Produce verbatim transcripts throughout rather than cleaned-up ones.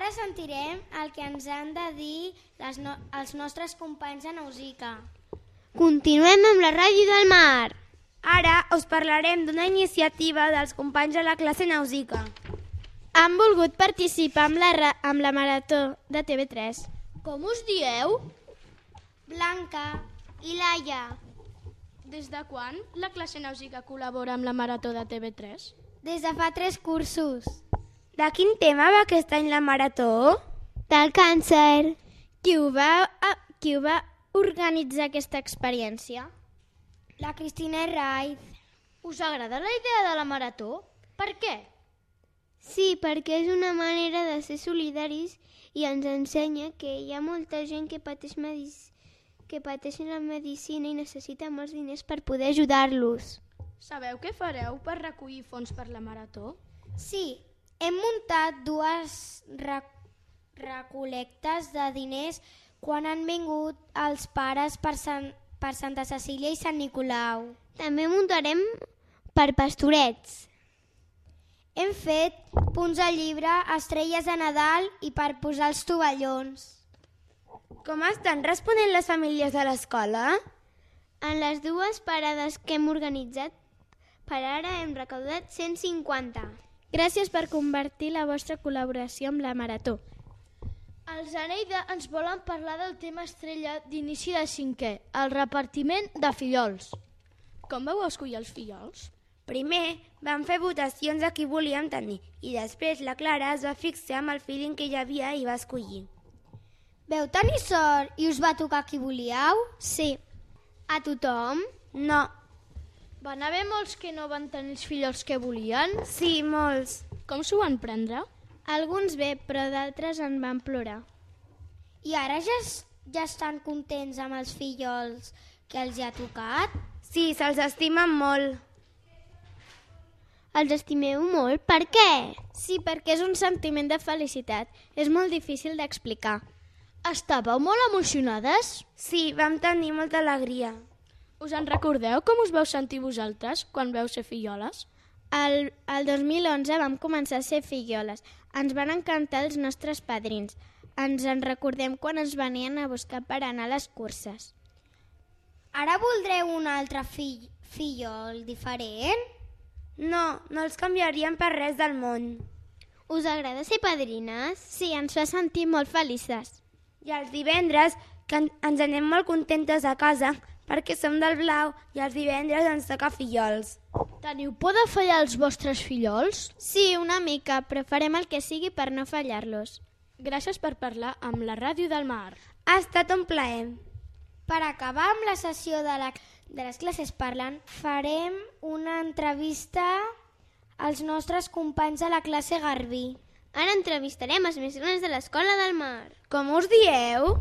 ara sentirem el que ens han de dir les no els nostres companys de Nausica. Continuem amb la Ràdio del Mar. Ara us parlarem d'una iniciativa dels companys de la classe Nausica. Han volgut participar amb la, amb la Marató de T V tres. Com us dieu? Blanca i Laia. Des de quan la classe Nausica col·labora amb la Marató de T V tres? Des de fa tres cursos. De quin tema va aquest any la Marató? Del càncer. Qui ho va, qui ho va organitzar aquesta experiència? La Cristina Herraiz. Us agrada la idea de la Marató? Per què? Sí, perquè és una manera de ser solidaris i ens ensenya que hi ha molta gent que pateix, medic... que pateix la medicina i necessita molts diners per poder ajudar-los. Sabeu què fareu per recollir fons per la Marató? Sí, hem muntat dues rec recol·lectes de diners quan han vingut els pares per, Sant, per Santa Cecília i Sant Nicolau. També muntarem per pastorets. Hem fet punts de llibre, estrelles de Nadal i per posar els tovallons. Com estan responent les famílies de l'escola? En les dues parades que hem organitzat, per ara hem recaudat cent cinquanta. Gràcies per convertir la vostra col·laboració amb la Marató. Els Aneida ens volen parlar del tema estrella d'inici de cinquè, el repartiment de fillols. Com vau escollir els fillols? Primer vam fer votacions a qui volíem tenir i després la Clara es va fixar amb el feeling que hi havia i va escollir. Veu tenir sort i us va tocar qui volíeu? Sí. A tothom? No. Van haver molts que no van tenir els fillols que volien? Sí, molts. Com s'ho van prendre? Alguns bé, però d'altres en van plorar. I ara ja, ja estan contents amb els fillols que els hi ha tocat? Sí, se'ls estimen molt. Els estimeu molt? Per què? Sí, perquè és un sentiment de felicitat. És molt difícil d'explicar. Estàveu molt emocionades? Sí, vam tenir molta alegria. Us en recordeu com us vau sentir vosaltres quan vau ser filloles? El, el dos mil onze vam començar a ser filloles. Ens van encantar els nostres padrins. Ens en recordem quan ens venien a buscar per anar a les curses. Ara voldreu un altre fill, fillol diferent? No, no els canviaríem per res del món. Us agrada ser padrines? Sí, ens fa sentir molt felices. I els divendres que ens anem molt contentes a casa perquè som del blau i els divendres ens toca fillols. Teniu por de fallar els vostres fillols? Sí, una mica, però farem el que sigui per no fallar-los. Gràcies per parlar amb la Ràdio del Mar. Ha estat un plaer. Per acabar amb la sessió de, la, de les classes parlant, farem una entrevista als nostres companys de la classe Garbí. Ara entrevistarem els més grans de l'Escola del Mar. Com us dieu?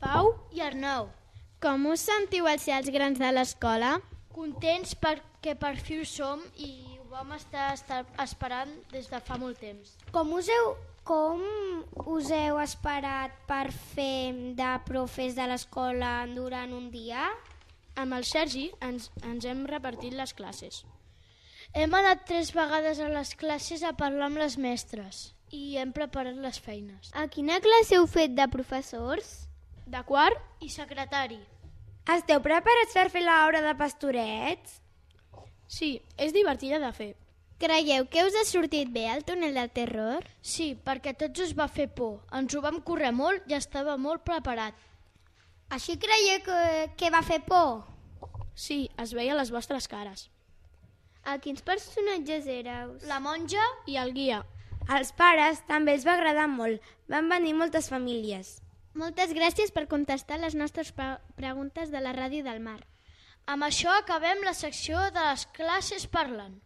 Pau i Arnau. Com us sentiu al ser els grans de l'escola? Contents perquè per fi ho som i ho vam estar, estar esperant des de fa molt temps. Com us heu, com us heu esperat per fer de profes de l'escola durant un dia? Amb el Sergi ens, ens hem repartit les classes. Hem anat tres vegades a les classes a parlar amb les mestres i hem preparat les feines. A quina classe heu fet de professors? De quart i secretari. Esteu preparats per fer l'hora de pastorets? Sí, és divertida de fer. Creieu que us ha sortit bé el túnel del terror? Sí, perquè tots us va fer por. Ens ho vam córrer molt i estava molt preparat. Així creieu que, que va fer por? Sí, es veia a les vostres cares. A quins personatges éreu? La monja i el guia. Als pares també els va agradar molt. Van venir moltes famílies. Moltes gràcies per contestar les nostres preguntes de la Ràdio del Mar. Amb això acabem la secció de les classes parlant.